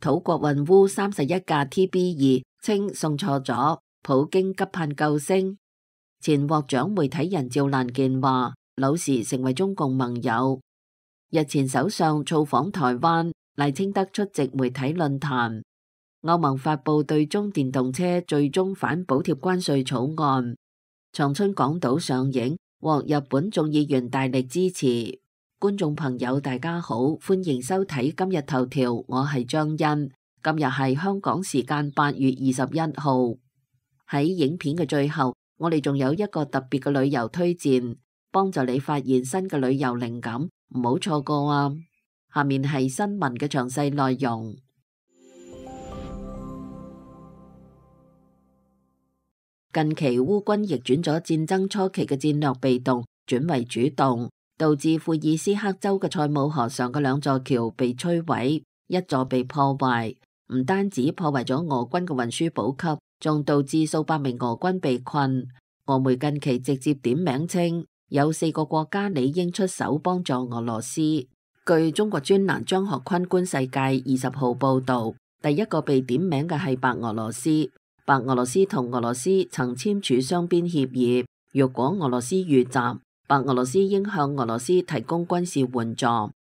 土國運烏31架 TB2，稱送錯咗，普京急盼救星。前獲獎媒體人趙蘭健話，柳時成為中共盟友。日前首相造訪台灣，賴清德出席媒體論壇。歐盟發布對中電動車最終反補貼關稅草案，長春港島上映，獲日本眾議員大力支持。觀眾朋友大家好，歡迎收睇今日頭條，我係張欣。今日係香港時間8月21號。喺影片嘅最後，我哋仲有一個特別嘅旅遊推薦，幫助你發現新嘅旅遊靈感，唔好錯過啊！下面係新聞嘅詳細內容。近期烏軍逆轉咗戰爭初期嘅戰略被動，轉為主動，導致庫爾斯克州嘅塞姆河上嘅兩座橋被摧毀，一座被破壞。唔單止破壞咗俄軍嘅運輸補給，仲導致數百名俄軍被困。俄媒近期直接點名稱，有4個國家理應出手幫助俄羅斯。據中國專欄張學坤觀世界20號報道，第一個被點名嘅係白俄羅斯。白俄羅斯同俄羅斯曾簽署雙邊協議，若果俄羅斯遇襲，白俄羅斯應向俄羅斯提供軍事援助，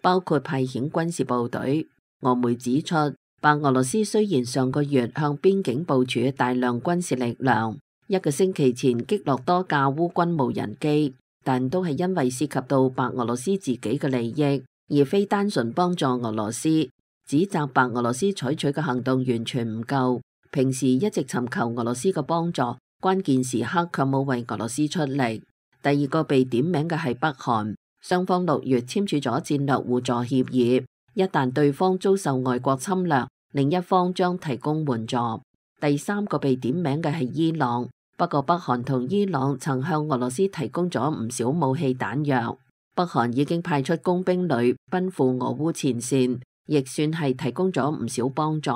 包括派遣軍事部隊。俄媒指出，白俄羅斯雖然上個月向邊境部署大量軍事力量，1個星期前擊落多架烏軍無人機，但都係因為涉及到白俄羅斯自己嘅利益，而非單純幫助俄羅斯。指責白俄羅斯採取嘅行動完全唔夠。平時一直尋求俄羅斯嘅幫助，關鍵時刻卻冇為俄羅斯出力。第二個被點名嘅係北韓，雙方6月簽署咗戰略互助協議，一旦對方遭受外國侵略，另一方將提供援助。第三個被點名嘅係伊朗，不過北韓同伊朗曾向俄羅斯提供咗唔少武器彈藥，北韓已經派出工兵旅奔赴俄烏前線，亦算係提供咗唔少幫助。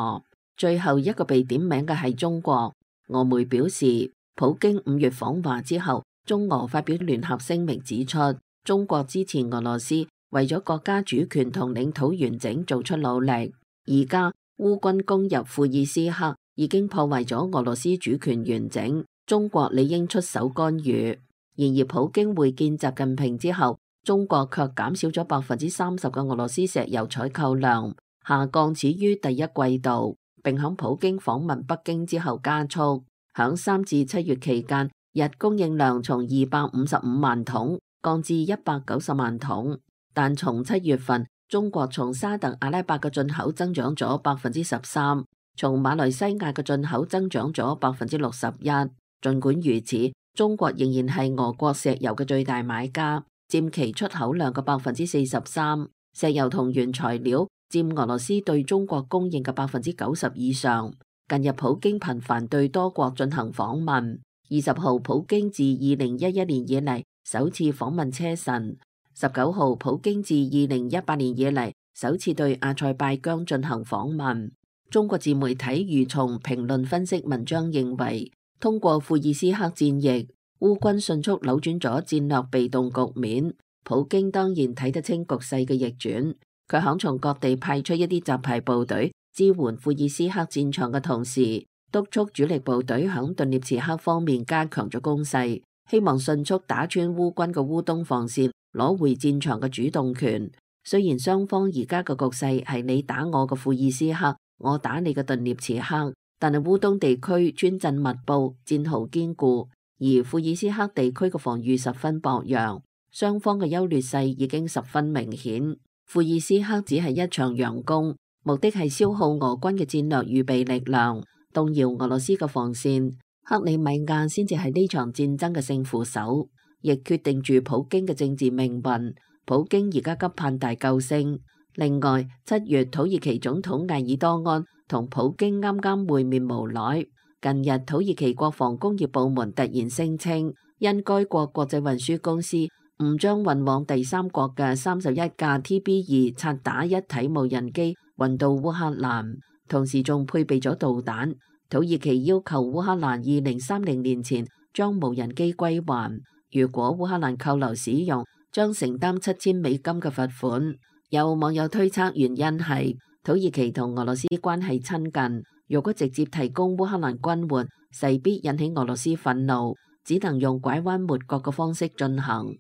最後一個被點名嘅係中國，俄媒表示，普京5月訪華之後，中俄發表聯合聲明指出，中國支持俄羅斯為咗國家主權同領土完整做出努力。而家烏軍攻入庫爾斯克，已經破壞咗俄羅斯主權完整，中國理應出手干預。然而普京會見習近平之後，中國卻減少咗30%嘅俄羅斯石油採購量，下降始於第一季度。並響普京訪問北京之後加速，響3至7月期間，日供應量從255萬桶降至190萬桶。但從7月份，中國從沙特阿拉伯嘅進口增長咗13%，從馬來西亞嘅進口增長咗61%。盡管如此，中國仍然係俄國石油嘅最大買家，佔其出口量嘅43%。石油同原材料佔俄羅斯對中國供應嘅90%以上。近日普京頻繁對多國進行訪問。20號普京自2011年以嚟首次訪問車臣。19號普京自2018年以嚟首次對阿塞拜疆進行訪問。中國自媒體蠕蟲評論分析文章認為，通過庫爾斯克戰役，烏軍迅速扭轉咗戰略被動局面。普京當然睇得清局勢嘅逆轉。佢響從各地派出一啲雜牌部隊支援庫爾斯克戰場嘅同時，督促主力部隊響頓涅茨克方面加強咗攻勢，希望迅速打穿烏軍嘅烏東防線，攞回戰場嘅主動權。雖然雙方而家嘅局勢係你打我嘅庫爾斯克，我打你嘅頓涅茨克，但係烏東地區村鎮密佈，戰壕堅固，而庫爾斯克地區嘅防禦十分薄弱，雙方嘅優劣勢已經十分明顯。庫爾斯克只係一場佯攻，目的係消耗俄軍嘅戰略預備力量，動搖俄羅斯嘅防線。克里米亞先至係呢場戰爭嘅勝負手，亦決定住普京嘅政治命運。普京而家急盼大救星。另外，7月土耳其總統埃爾多安同普京啱啱會面無耐。近日土耳其國防工業部門突然聲稱，因該國國際運輸公司誤將運往第三國嘅31架 TB2 察打一體無人機運到烏克蘭，同時仲配備咗導彈。土耳其要求烏克蘭2030年前將無人機歸還，如果烏克蘭扣留使用，將承擔$7000嘅罰款。有網友推測原因係土耳其同俄羅斯關係親近，如果直接提供烏克蘭軍援，勢必引起俄羅斯憤怒，只能用拐彎抹角嘅方式進行。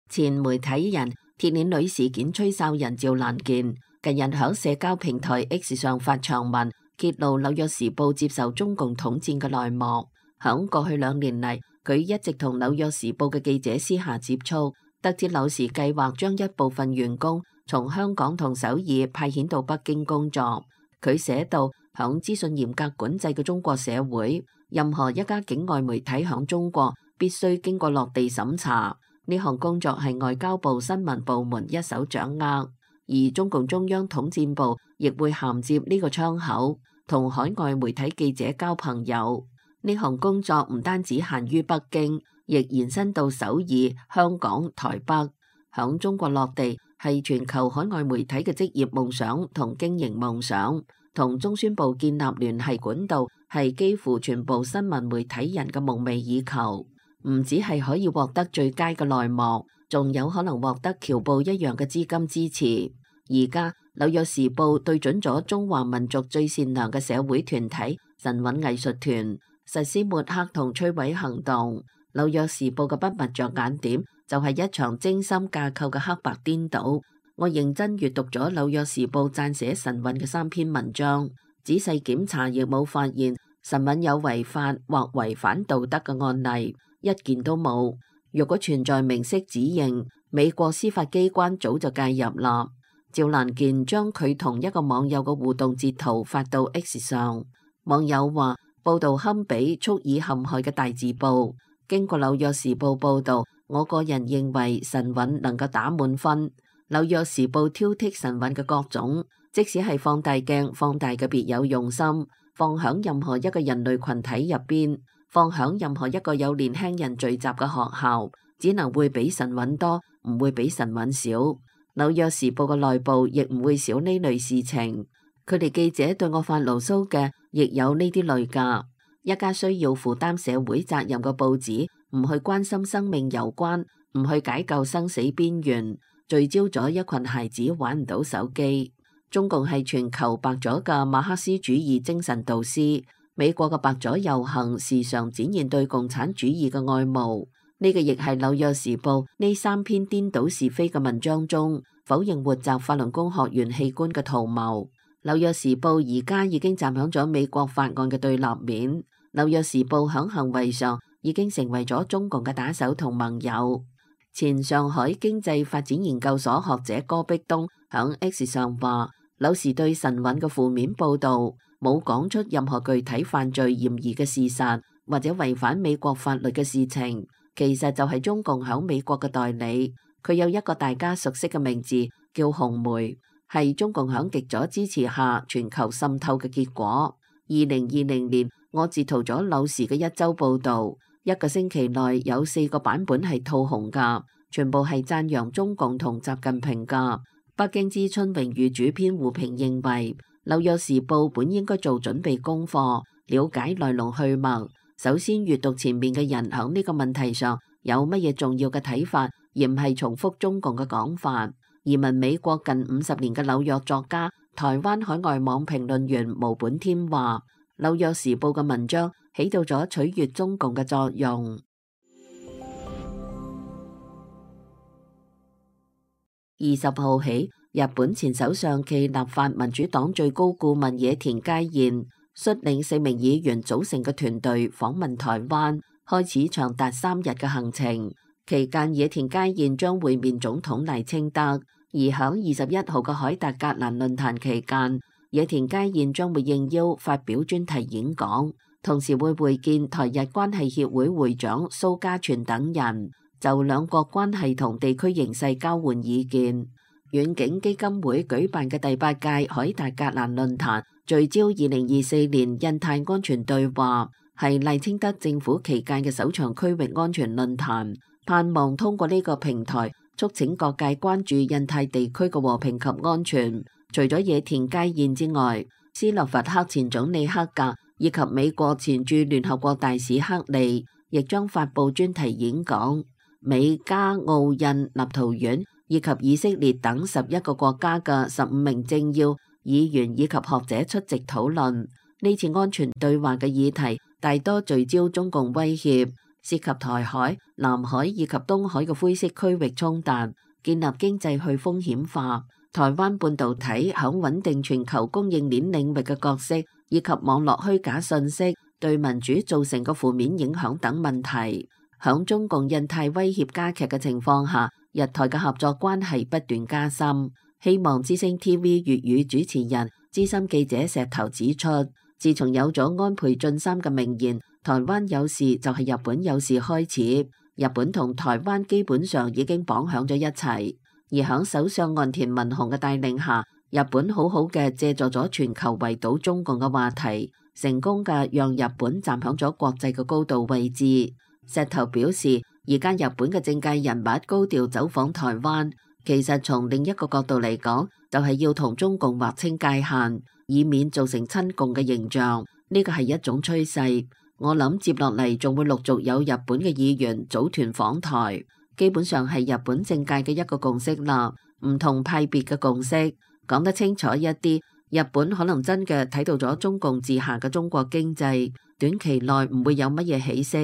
前媒體人鐵鏈女事件吹哨人趙蘭健近日喺社交平台 X 上發長文，揭露《紐約時報》接受中共統戰嘅內幕。響過去2年嚟，佢一直同《紐約時報》嘅記者私下接觸，得知紐時計劃將一部分員工從香港同首爾派遣到北京工作。佢寫道，響資訊嚴格管制嘅中國社會，任何一家境外媒體響中國必須經過落地審查。呢項工作係外交部新聞部門一手掌握，而中共中央統戰部亦會銜接呢個窗口，同海外媒體記者交朋友。呢項工作唔單止限於北京，亦延伸到首爾、香港、台北。響中國落地係全球海外媒體嘅職業夢想同經營夢想，同中宣部建立聯繫管道係幾乎全部新聞媒體人嘅夢寐以求。唔只係可以獲得最佳嘅內幕，仲有可能獲得僑報一樣嘅資金支持。而家紐約時報對準咗中華民族最善良嘅社會團體神韻藝術團，實施抹黑同摧毀行動。紐約時報嘅不物着眼點就係一場精心架構嘅黑白顛倒。我認真閱讀咗紐約時報撰寫神韻嘅3篇文章，仔細檢查亦冇發現神韻有違法或違反道德嘅案例，一件都冇。如果存在明晰指認，美國司法機關早就介入啦。趙蘭健將佢同一個網友嘅互動截圖發到 X 上，網友話報道堪比蓄意陷害嘅大字報。經過紐約時報報道，我個人認為神韻能夠打滿分。紐約時報挑剔神韻嘅各種，即使係放大鏡放大嘅別有用心，放響任何一個人類群體入邊，放響任何一個有年輕人聚集嘅學校，只能會比神韻多，唔會比神韻少。紐約時報嘅內部亦唔會少呢類事情。佢哋記者對我發牢騷嘅，亦有呢啲類㗎。一家需要負擔社會責任嘅報紙，唔去關心生命攸關，唔去解救生死邊緣，聚焦咗一群孩子玩唔到手機。中共係全球白左嘅馬克思主義精神導師。美國嘅白左遊行時常展現對共產主義嘅愛慕。呢個亦係紐約時報呢3篇顛倒是非嘅文章中否認活摘法輪功學員器官嘅圖謀。紐約時報而家已經站響咗美國法案嘅對立面。紐約時報響行為上已經成為咗中共嘅打手同盟友。前上海經濟發展研究所學者戈壁東響 X 上話，紐時對神韻嘅負面報導冇講出任何具體犯罪嫌疑嘅事實，或者違反美國法律嘅事情，其實就係中共響美國嘅代理。佢有一個大家熟悉嘅名字叫紅媒，係中共響極左支持下全球滲透嘅結果。2020年，我截圖咗紐時嘅一周報導，一個星期內有4個版本係吐紅㗎，全部係讚揚中共同習近平㗎。北京之春榮譽主編胡平認為，紐約時報本應該做準備功課，了解來龍去脈。首先閱讀前面嘅人喺呢個問題上有乜嘢重要嘅睇法，而唔係重複中共嘅講法。移民美國近50年嘅紐約作家、台灣海外網評論員毛本添話，紐約時報嘅文章起到咗取悅中共嘅作用。20號起，日本前首相暨立法民主黨最高顧問野田佳彥率領4名議員組成嘅團隊訪問台灣，開始長達3日嘅行程。期間，野田佳彥將會面總統賴清德，而響21號嘅凱達格蘭論壇期間，野田佳彥將會應邀發表專題演講，同時會會見台日關係協會會長蘇嘉全等人，就兩國關係同地區形勢交換意見。遠景基金會舉辦嘅第8屆凱達格蘭論壇聚焦2024年印太安全對話，係賴清德政府期間嘅首場區域安全論壇，盼望通過呢個平台促請各界關注印太地區嘅和平及安全。除咗野田佳彥之外，斯洛伐克前總理克格以及美國前駐聯合國大使克利亦將發佈專題演講。美加澳印立陶宛以及以色列等11個國家嘅15名政要、議員以及學者出席討論。呢次安全對話嘅議題大多聚焦中共威脅，涉及台海、南海以及東海嘅灰色區域衝突，建立經濟去風險化、台灣半導體響穩定全球供應鏈領域嘅角色，以及網絡虛假信息對民主造成嘅負面影響等問題。響中共印太威脅加劇嘅情況下，日台嘅合作關係不斷加深。希望之聲 TV 粵語主持人、資深記者石頭指出，自從有咗安倍晉三嘅名言，台灣有事就係日本有事開始，日本同台灣基本上已經綁響咗一齊。而響首相岸田文雄嘅帶領下，日本好好嘅借助咗全球圍堵中共嘅話題，成功嘅讓日本站響咗國際嘅高度位置。石頭表示，而家日本嘅政界人物高調走訪台灣，其實從另一個角度嚟講，就係要同中共劃清界限，以免造成親共嘅形象。呢個係一種趨勢。我諗接落嚟仲會陸續有日本嘅議員組團訪台。基本上係日本政界嘅一個共識啦，唔同派別嘅共識。講得清楚一啲，日本可能真嘅睇到咗中共治下嘅中國經濟，短期內唔會有乜嘢起色，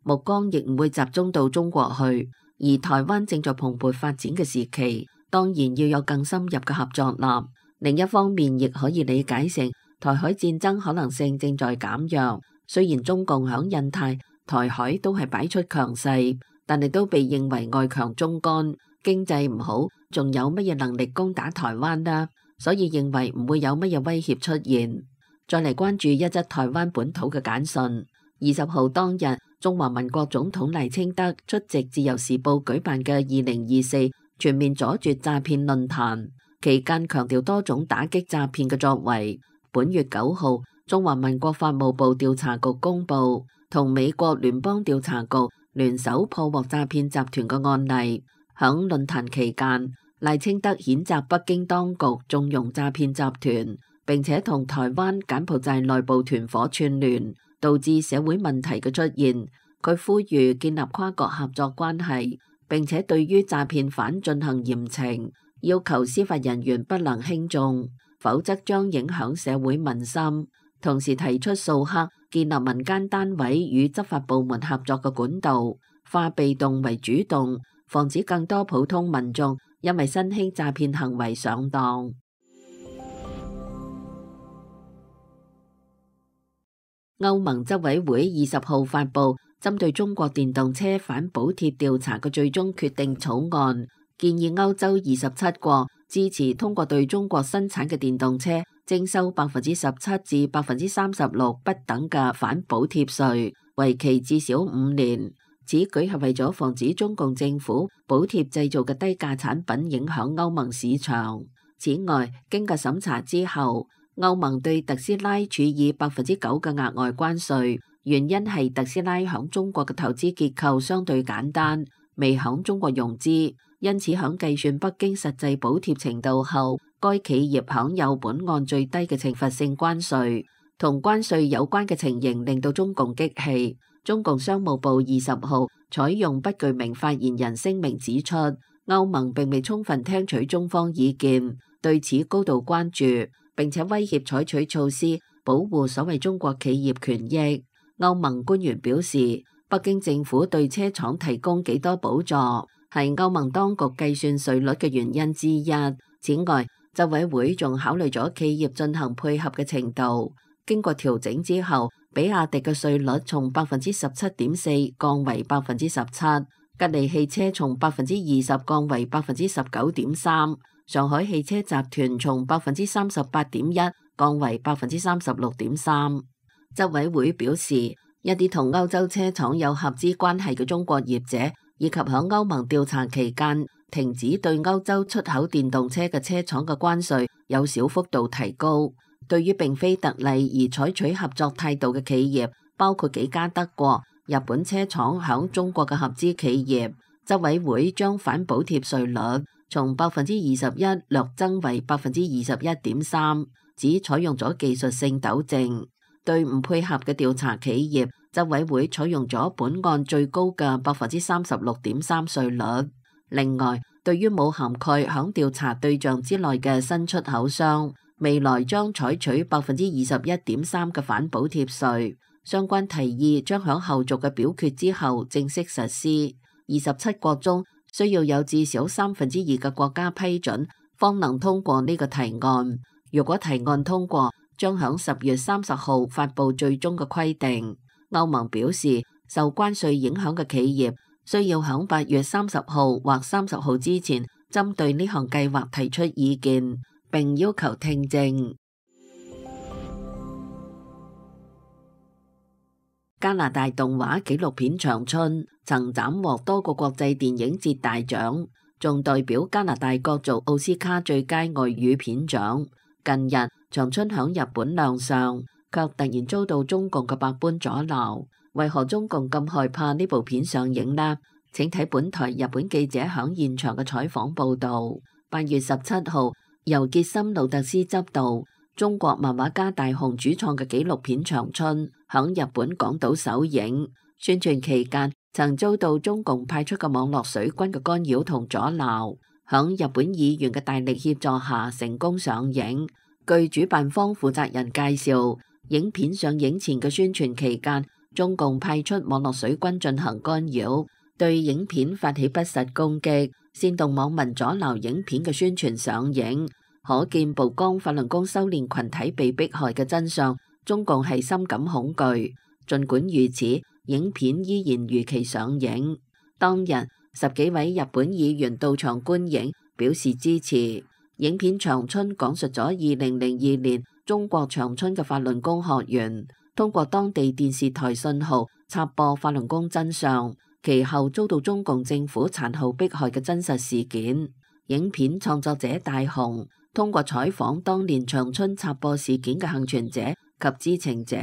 目光亦唔會集中到中國去。而台灣正在蓬勃發展嘅時期，當然要有更深入嘅合作啦。另一方面，亦可以理解成台海戰爭可能性正在減弱。雖然中共響印太、台海都係擺出強勢，但係都被認為外強中乾，經濟唔好，仲有乜嘢能力攻打台灣呢？所以認為唔會有乜嘢威脅出現。再嚟關注一則台灣本土嘅簡訊。20號當日，中華民國總統賴清德出席自由時報舉辦嘅2024全面阻絕詐騙論壇，期間強調多種打擊詐騙嘅作為。本月9號，中華民國法務部調查局公布，同美國聯邦調查局聯手破獲詐騙集團嘅案例。響論壇期間，賴清德譴責北京當局縱容詐騙集團，並且同台灣、柬埔寨內部團夥串聯，導致社會問題嘅出現。佢呼籲建立跨國合作關係，並且對於詐騙犯進行嚴懲，要求司法人員不能輕重，否則將影響社會民心。同時提出掃黑，建立民間單位與執法部門合作嘅管道，化被動為主動，防止更多普通民眾因為新興詐騙行為上當。歐盟執委會20號發布針對中國電動車反補貼調查嘅最終決定草案，建議歐洲27國支持通過對中國生產嘅電動車徵收17%至36%不等嘅反補貼稅，為期至少5年。此舉係為咗防止中共政府補貼製造嘅低價產品影響歐盟市場。此外，經過審查之後，歐盟對特斯拉處以9%嘅額外關稅，原因係特斯拉響中國嘅投資結構相對簡單，未響中國融資，因此響計算北京實際補貼程度後，該企業享有本案最低嘅懲罰性關稅。同關稅有關嘅情形令到中共激氣。中共商務部20號採用不具名發言人聲明指出，歐盟並未充分聽取中方意見，對此高度關注，並且威脅採取措施保護所謂中國企業權益。歐盟官員表示，北京政府對車廠提供幾多補助，係歐盟當局計算稅率嘅原因之一。此外，執委會仲考慮咗企業進行配合嘅程度。經過調整之後，比亞迪嘅稅率從17.4%降為17%，吉利汽車從20%降為19.3%，上海汽車集團從38.1%降為36.3%。執委會表示，一啲同歐洲車廠有合資關係嘅中國業者，以及喺歐盟調查期間停止對歐洲出口電動車嘅車廠嘅關稅，有小幅度提高。對於並非特例而採取合作態度嘅企業，包括幾家德國、日本車廠響中國嘅合資企業，執委會將反補貼稅率從21%略增為21.3%，只採用咗技術性糾正。對唔配合嘅調查企業，執委會採用咗本案最高嘅36.3%稅率。另外，對於冇涵蓋響調查對象之內嘅新出口商，未來將採取21.3%嘅反補貼稅。相關提議將響後續嘅表決之後正式實施。27國中需要有至少2/3嘅國家批准，方能通過呢個提案。如果提案通過，將響10月30號發布最終嘅規定。歐盟表示，受關稅影響嘅企業需要響8月30號或30號之前，針對呢項計劃提出意見，並要求聽證。加拿大動畫紀錄片《長春》曾斬獲多個國際電影節大獎，仲代表加拿大角逐奧斯卡最佳外語片獎。近日，《長春》響日本亮相，卻突然遭到中共嘅百般阻撓。為何中共咁害怕呢部片上映呢？請睇本台日本記者響現場嘅採訪報道。8月17號，由傑森路特斯執導，中國漫畫家大雄主創嘅紀錄片《長春》響日本廣島首映，宣傳期間曾遭到中共派出嘅網絡水軍嘅干擾同阻撓。響日本議員嘅大力協助下，成功上映。據主辦方負責人介紹，影片上映前嘅宣傳期間，中共派出網絡水軍進行干擾，對影片發起不實攻擊，煽動網民阻撓影片嘅宣傳上映。可見曝光法輪功修煉群體被迫害嘅真相，中共係深感恐懼。儘管如此，影片依然如期上映。當日10幾位日本議員到場觀影，表示支持。影片《長春》講述咗2002年中國長春嘅法輪功學員通過當地電視台信號插播法輪功真相，其後遭到中共政府殘酷迫害嘅真實事件。影片創作者大雄通過採訪當年長春插播事件嘅幸存者及知情者，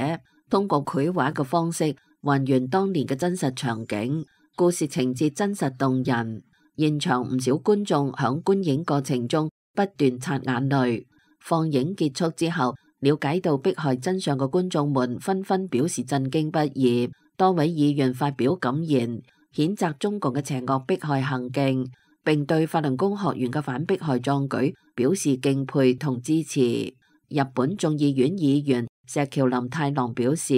通過繪畫嘅方式還原當年嘅真實場景，故事情節真實動人。現場唔少觀眾響觀影過程中不斷擦眼淚。放映結束之後，了解到迫害真相嘅觀眾們紛紛表示震驚不已。多位議員發表感言，譴責中共嘅邪惡迫害行徑，並對法輪功學員嘅反迫害壯舉表示敬佩同支持。日本眾議院議員石橋林太郎表示，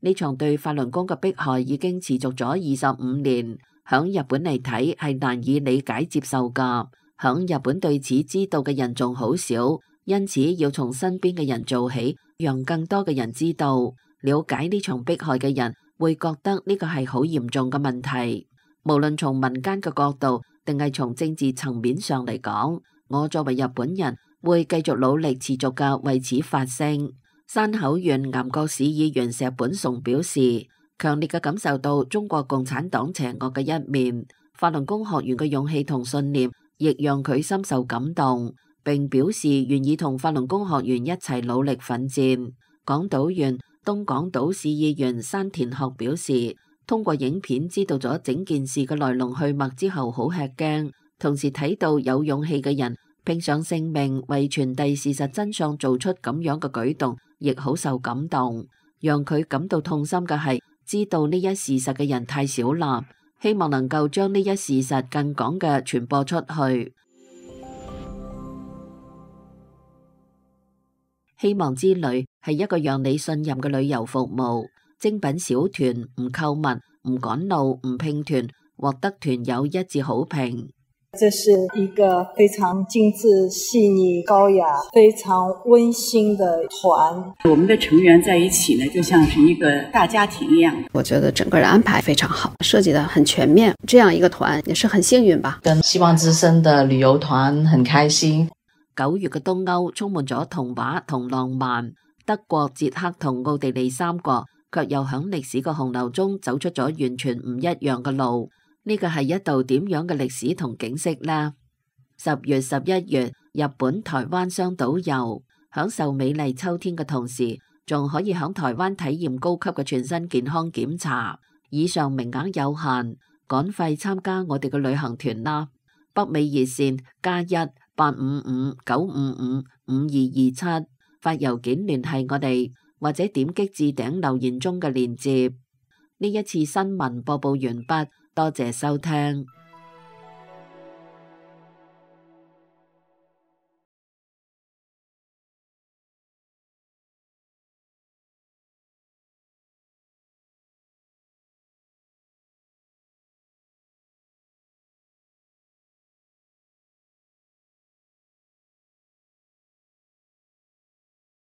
呢場對法輪功嘅迫害已經持續咗25年，響日本嚟睇係難以理解接受㗎。響日本對此知道嘅人仲好少，因此要從身邊嘅人做起，讓更多嘅人知道，了解呢場迫害嘅人會覺得呢個係好嚴重嘅問題。無論從民間嘅角度定係從政治層面上嚟講，我作為日本人會繼續努力持續嘅為此發聲。山口縣岩國市議員石本崇表示，強烈嘅感受到中國共產黨邪惡嘅一面，法輪功學員嘅勇氣同信念亦讓佢深受感動，並表示願意同法輪功學員一齊努力奮戰。港島縣東港島市議員山田學表示，通過影片知道咗整件事嘅來龍去脈之後好吃驚，同時睇到有勇氣嘅人拼上性命為傳遞事實真相做出咁樣嘅舉動，亦好受感動。讓佢感到痛心嘅係知道呢一事實嘅人太少啦，希望能夠將呢一事實更廣嘅傳播出去。希望之旅係一個讓你信任嘅旅遊服務，精品小團，唔購物，唔趕路，唔拼團，獲得團友一致好評。這是一個非常精緻、細膩、高雅、非常溫馨的團。我們的成員在一起呢，就像是一個大家庭一樣。我覺得整個的安排非常好，設計得很全面。這樣一個團也是很幸運吧。跟希望之聲的旅遊團很開心。9月嘅東歐充滿咗童話同浪漫，德國、捷克同奧地利3國卻又響歷史嘅洪流中走出咗完全唔一樣嘅路。呢個係一道點樣嘅歷史同景色呢？10月、11月，日本、台灣雙島遊，享受美麗秋天嘅同時，仲可以響台灣體驗高級嘅全身健康檢查。以上名額有限，趕快參加我哋嘅旅行團啦！北美熱線+1-855-955-5227，發郵件聯繫我哋，或者點擊置頂留言中嘅鏈接。呢一次新聞播報完畢。多謝收聽。